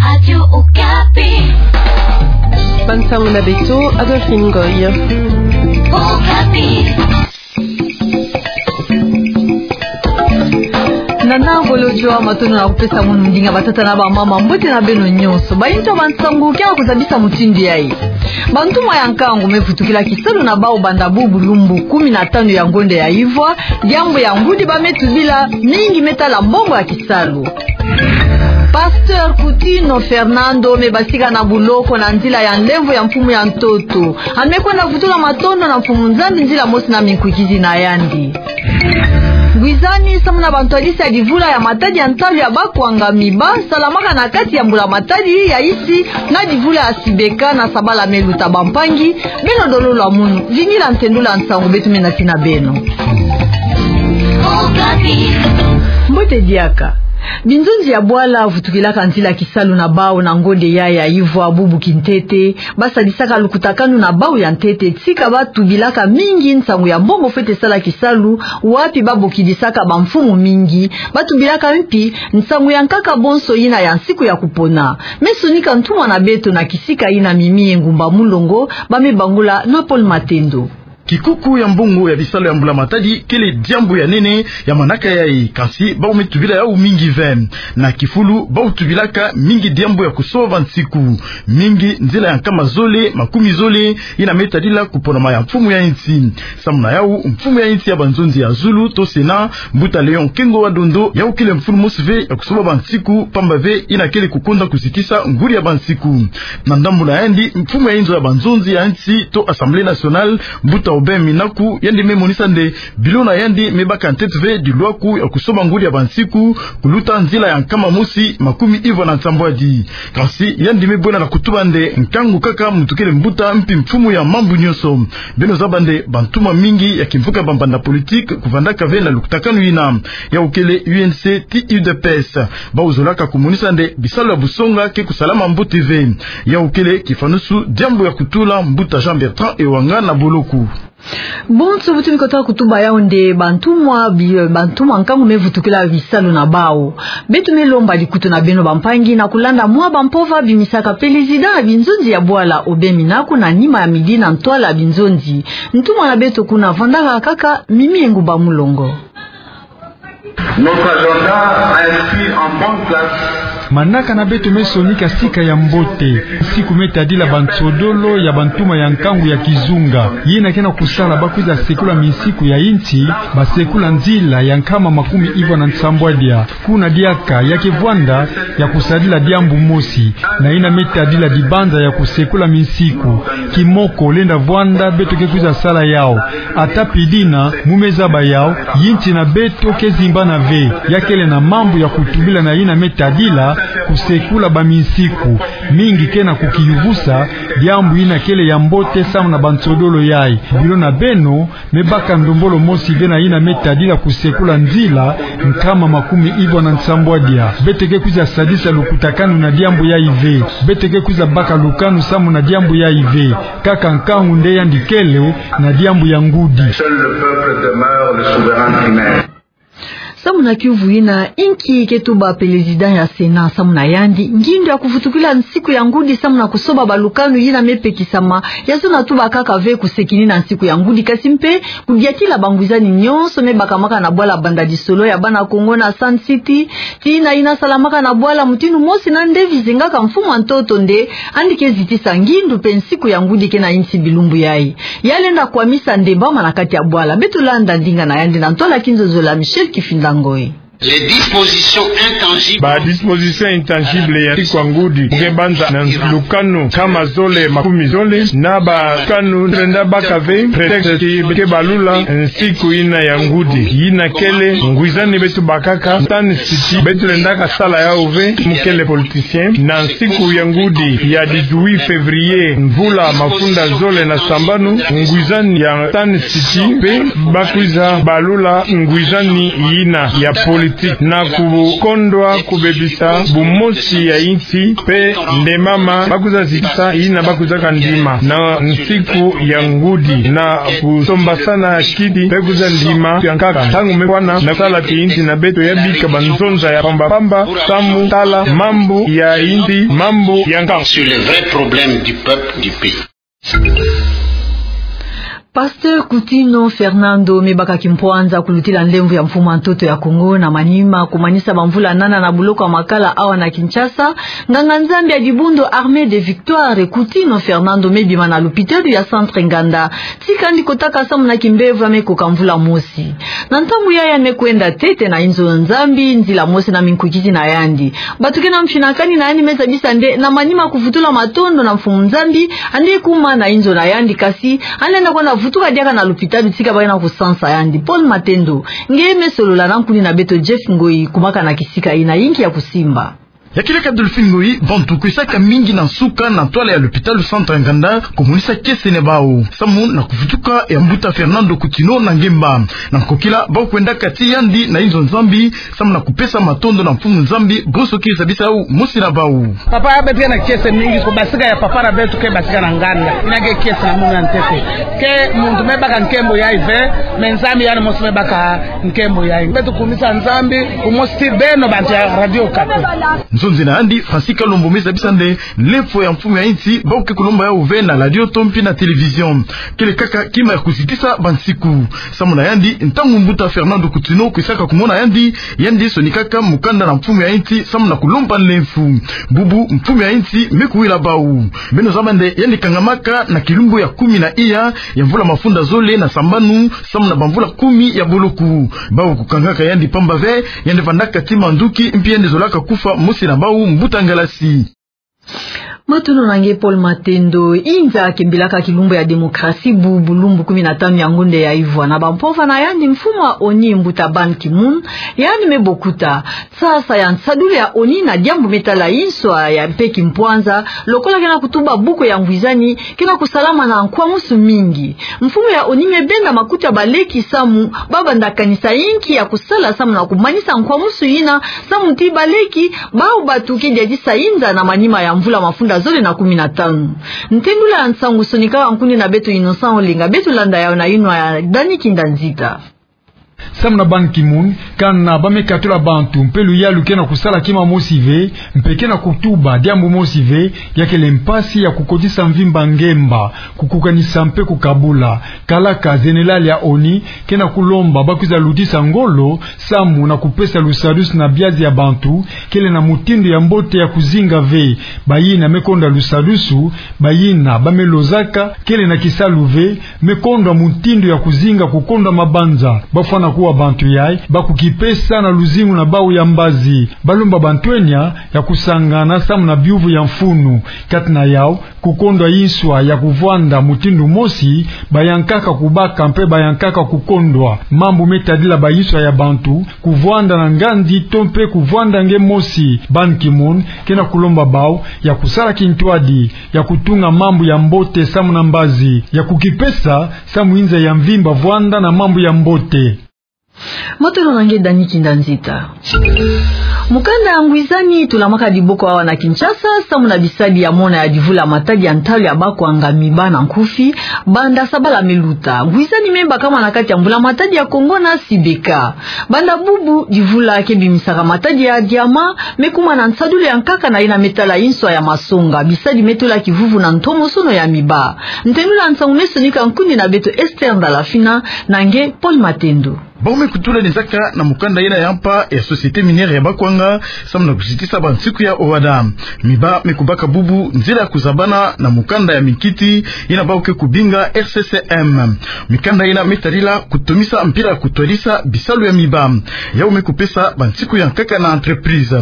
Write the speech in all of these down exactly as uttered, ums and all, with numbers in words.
Radio Okapi. Bansangu na beto, Adolphine Ngoy. Okapi. Nana Bolodjwa, matondo na kupesa mono ndinga. Batata na bamama, mbote na beno nyonso. Bayinto ya bansangu, ke na kuzabisa mutindu yayi. Bantumwa ya nkangu me vutukila kisalu na bawu banda bubu lumbu kumi na tanu ya ngonde ya ivwa, diambu ya ngudi ba me tubila mingi me tala mbongo ya kisalu. Pasteur Coutinho Fernando me basika na buloko na nzila ya nlemvo ya mfumu ya ntoto. A me kwenda vutula matondo na Mfumu Nzambi nzila mosi na minkwikidi na yandi. Ngwizani samu na bantwadisi ya divula ya matadi ya ntalu ya bakwangami ba salamaka na kati ya mbula matadi ya isi na divula ya Sibeka na sabala me luta. Bampangi, beno dololo ya munu, vingila ntendula nsangu beto me nati na beno. Mbote diaka. Binzonzi ya bwala vutukilaka nzila kisalu na bawu na ngonde yayi ya ivwa bubu kintete, ba sadisaka lukutakanu na bawu ya ntete, tika ba tubilaka mingi nsangu ya mbongo fwete sala kisalu, wapi ba bokidisaka bamfumu mingi, ba tubilaka mpi nsangu ya nkaka bonso yina ya nsiku ya kupona. Me sonika ntumwa na beto na kisika yina, Mimi Engumba Mulongo, ba me bangula na Paul Matendo. Kikuku ya mbongo ya bisalu ya mbula matadi kele diambu ya nene ya manaka yayi, kansi bawu me tubila yawu mingi ve. Na kifulu, bawu tubilaka mingi diambu ya kusoba bansiku. Mingi nzila ya nkama zole, makumi zole, yina me tadila kuponama ya mfumu ya insi. Samu na yawu, mfumu ya insi ya banzonzi ya zulu, to Sénat, Mbuta Léon Kengo wa Dondo, yawu kele mfunu mosi ve ya kusoba bansiku, pamba ve yina kele kukonda kuzitisa ngudi ya bansiku. Na ndambu na yandi, mfumu ya inzo ya banzonzi ya insi, to Assemblée nationale, Mbuta Aubin Minaku, yandi me monisa nde bilo na yandi me baka ntete ve dilwaku ya kusoba ngudi ya bansiku, kuluta nzila ya nkama mosi makumi ivwa na nsambwadi. Kansi yandi me bwena na kutuba nde nkangu kaka muntu kele mbuta mpi mfumu ya mambu nyonso. Beno zaba nde bantumwa mingi ya kimvuka bambanda politique kuvandaka ve na lukutakanu yina. Yawu kele U N C ti U D P S. Bawu zolaka kumonisa nde bisalu ya busonga ke kusalama mbote ve. Yawu kele kifanusu diambu ya kutula Mbuta Jean Bertrand Ewanga na boloko. Bonso bu tumi kota kutuba yawu nde bantumwa bi-, bantumwa nkangu me vutukila bisalu na bawu. Beto me lomba likutu na beno bampangi na kulanda mwa bampova bimisaka président ya binzonzi ya bwala Aubin Minaku na nima ya midi na ntwala ya binzonzi. Ntumwa na beto kuna vandaka kaka, Mimi Engumba Mulongo. Notre agenda a inscrit en bonne place. Manaka na beto me sonika sika ya mbote. Nsiku me tadila bansodolo ya bantumwa ya nkangu ya kizunga. Yina ke na kusala ba kwiza sekula minsiku ya insi, ba sekula nzila ya nkama makumi ivwa na nsambwadia. Kuna diaka ya ke vwanda ya kusadila diambu mosi, na yina me tadila dibanza ya kusekula minsiku. Kimoko lenda vwanda beto ke kwiza sala yawu. Ata pi dina, mu me zaba yawu, insi na beto ke zimbana ve. Ya kele na mambu ya kutubila na yina me tadila kusekula baminsiku. Mingi ke na kukiyuvusa, diambu yina kele ya mbote samu na bansodolo yayi. Bilo na beno, me baka ndombolo mosi ve na yina me tadila kusekula nzila, nkama makumi ivwa na nsambwadia. Beto ke kwiza sadisa lukutakanu na diambu yayi ve. Beto ke kwiza baka lukanu samu na diambu yayi ve. Kaka nkangu nde yandi kele na diambu ya ngudi. Seul le peuple demeure le souverain primaire. Samu na kiuvu yina, inki ke tuba président ya Sénat samu na yandi? Ngindu ya kuvutukila nsiku ya ngudi samu na kusoba balukanu yina me pekisama, ya zona tuba kaka ve kusekini na nsiku ya ngudi, kasi mpe kudiatila bangwizani nyonso me bakamaka na bwala banda disolo ya bana Kongo na Sun City, tii na yina salamaka na bwala, mutindu mosi na nde vizingaka mfumu a ntoto nde yandi ke zitisa ngindu mpe nsiku ya ngudi ke na insi bilumbu yayi. Ya lenda kwamisa ndembama na kati ya bwala. Beto landa ndinga na yandi na ntwala kinzonzolo ya Michel Kifinda Ngoy. Les dispositions intangibles. Ba dispositions intangibles ya nsiku ya ngudi, mu ke banza na lukanu nkama zole makumi zole, na balukanu lenda baka ve prétexte ke balula nsiku yina ya ngudi. Yina kele ngwizani beto bakaka, Sun City, beto lendaka sala yawu ve, mu kele politicien. Na nsiku ya ngudi ya dix-huit février, mvula mafunda zole na sambanu, ngwizani ya Sun City mpe ba kwiza balula ngwizani yina ya poli- na kukondwa kubebisa bumosi ya insi, mpe nde mama ba kwiza zitisa yina ba kwizaka ndima na nsiku ya ngudi, na kusombasana kidi mpe kwiza ndima ya nkaka ntangu me kwana na sala ti insi na beto ya bika banzonza ya pamba pamba, samu tala mambu ya insi, mambu ya nkaka. Sur les vrais problèmes du peuple, du pays. Pasteur Coutinho Fernando me baka kimpwanza kulutila nlemvo ya mfumu a ntoto ya Kongo na manima kumanisa bamvula nana na boloko ya Makala awa na Kinshasa. Nganga-Nzambi ya dibundu Armée de Victoire Coutinho Fernando me bima na lupitalu ya Centre Nganda, tika yandi kotaka samu na kimbevo ya me koka mvula mosi. Na ntangu yayi yandi me kwenda ntete na inzo ya Nzambi, nzila mosi na minkukiti na yandi. Bato ke na mfinakani na yandi me zabisa nde na manima kuvutula matondo na Mfumu Nzambi, yandi kuma na inzo na yandi, kasi yandi lenda kwenda vutuka diaka na lupitalu tika ba ke na kusansa yandi. Paul Matendo, ngeye me solola na nkuni na beto Jeff Ngoi, kumaka na kisika yina yinki ya kusimba. Ya keleka Delphine Ngoi, bantu kwisaka mingi na nsuka na ntwala ya lupitalu Centre Nganda, kumonisa kiese na bau samu na kuvutuka ya Mbuta Fernando Coutinho na ngemba. Na nkokila, bau kwendaka ti yandi na inzo Nzambi, samu na kupesa matondo na Mfumu Nzambi, bonso ke zabisa yau mosi na bau. Papa, beto ke na kiese mingi, kubasika ya papa na beto ke basika na nganda. Yina ke kiese na munu ya ntete. Ke muntu me baka nkembo yayi ve, mais Nzambi yandi mosi me baka nkembo yayi. Beto kumisa Nzambi, kumosi ti beno bantu ya Radio Okapi. Nzonzi na yandi, Francis Kalombo, me zabisa nde nlemvo ya mfumu ya insi, bau ke kulomba yau ve na radio to mpi na télévision. Kele kaka kima ya kuzitisa bansiku. Samu na yandi, ntangu Mbuta Fernando Coutinho kwisaka kumona yandi, yandi sonikaka mukanda na mfumu ya insi samu na kulomba nlemvo. Bubu mfumu ya insi me kuwila bau. Beno zaba nde yandi kangamaka na kilumbu ya kumi na iya ya mvula mafunda zole na sambanu, samu na bamvula kumi ya boloko. Bau kukangaka yandi pamba ve, yandi vandaka ti manduki, mpi yandi zolaka kufwa mosi na bau, Mbuta Ngalasi. Matondo na nge Paul Matendo. Inza kembilaka kilumbu ya démocratie bu bulumbu kumi na tanu ya ngonde ya ivwa, na bampova na yandi, mfumu a ONU, Mbuta Ban Ki-moon, yandi me bokuta sasa ya nsadulu ya ONU na diambu me tala inswa ya mpe kimpwanza, lokola ke na kutuba buku ya ngwizani ke na kusalama na nkwamusu mingi. Mfumu ya ONU me benda makuta ya baleki samu ba banda kanisa yinki ya kusala samu na kumanisa nkwamusu yina, samu ti baleki, bau batu ke diadisa inza na manima ya mvula mafunda zole na kumi na tanu. Ntendula ya nsangu sonikaka nkuni na beto Innocent Olenga, beto landa yau na yinwa ya Dani Kinda Nzita. Samu na Ban Ki-moon, kana ba me katula bantu mpe luyalu ke na kusala kima mosi ve, mpe ke na kutuba diambu mosi ve, ya kele mpasi ya kukotisa mvimba ngemba, kukukanisa mpe kukabula. Kalaka, général ya ONU ke na kulomba ba kwiza lutisa ngolo samu na kupesa lusadusu na biazi ya bantu kele na mutindu ya mbote ya kuzinga ve. Bayina me kondwa lusadusu, bayina ba me lozaka kele na kisalu ve, me kondwa mutindu ya kuzinga kukondwa mabanza. Ba fwana kuwa bantu yayi ba kukipesa na luzingu na bau ya mbazi. Ba lomba bantu enya ya kusangana samu na biuvu ya mfunu. Kati na yau, kukondwa inswa ya kuvwanda mutindu mosi, bayankaka kubaka mpe bayankaka kukondwa mambu me tadila ba inswa ya bantu, kuvwanda na ngandi to mpe kuvwanda nge mosi. Ban Ki-moon ke na kulomba bau ya kusala kintwadi ya kutunga mambu ya mbote samu na mbazi, ya kukipesa samu inza ya mvimba vwanda na mambu ya mbote. Matondo na nge Dani Kinda Nzita. Mukanda ya ngwizani tulamaka diboko awa na Kinshasa, samu na bisadi ya mona ya divula matadi ya ntalu ya bakwanga, MIBA na nkufi, banda sabala me luta. Ngwizani me bakama na kati ya mbula matadi ya Kongo na SIBECA. Banda bubu, divula ke bimisaka matadi ya diamant me kuma na nsadulu ya nkaka na yina me tala inswa ya masonga. Bisadi me tola kivuvu na ntomosono ya MIBA. Ntendula nsangu me sonika nkuni na beto Esther Ndalafina na nge Paul Matendo. Bau me kutula nzaka na mukanda yina ya mpa ya Société Minière ya Bakwanga, samu na kuzitisa bansiku ya owada. MIBA me kubaka bubu nzila ya kuzabana na mukanda ya minkiti yina bau ke kubinga R C C M. Mikanda yina me tadila kutomisa mpila kutwadisa bisalu ya MIBA. Yau me kupesa bansiku ya nkaka na entreprise.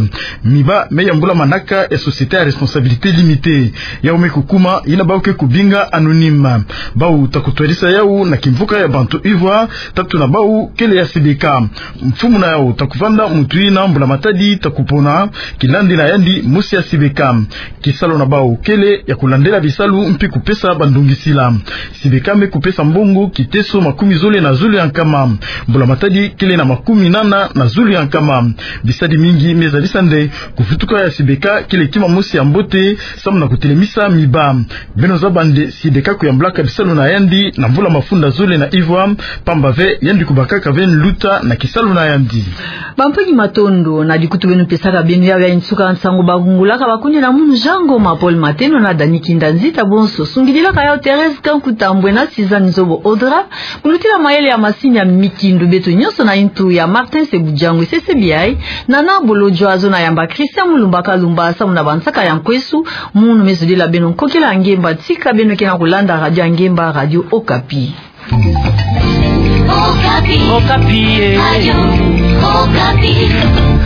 MIBA me yambula manaka ya société ya responsabilité limitée. Yau me kukuma yina bau ke kubinga anonyme. Bau ta kutwadisa yau na kimvuka ya bantu ivwa, tatu na bau ke ya Sibeka. Mfumu na yau ta kuvanda mutu yina mbula matadi ta kupona, kilandila yandi mosi ya Sibeka. Kisalu na bau kele ya kulandela bisalu mpi kupesa bandongisila. Sibeka me kupesa mbongo kiteso makumi zole na zole ya nkama. Mbula matadi kele na makumi nana na zole ya nkama. Bisadi mingi me zadisa nde kuvutuka ya Sibeka kele kima mosi ya mbote samu na kutelemisa miba. Beno zaba nde Sibeka kuyambulaka bisalu na yandi na mvula mafunda zole na ivwa, pamba ve yandi kubakaka ve nluta na kisalu na yandi. Bampangi, matondo na dikutu beno pesaka beno. Yau ya nsuka nsangu bakungulaka bakuni na munu Jean Ngoma, Paul Mateno na Dani Kinda Nzita, bonso sungidilaka yau Thérèse Kanku Tambwe na Suzanne Nzobo Audra. Kulutila mayele ya masini ya mikindu beto nyonso na ntu ya Martin Sebujangwe, sese biai Nana Bolodjwa, zona yamba Christian Mulumba Kalumba samu na bansaka ya nkwesu. Munu me zodila beno nkokila ya ngemba, tika beno ke na kulanda radio ya ngemba, Radio Okapi. Okapi. Okapi, eh. Radio Okapi.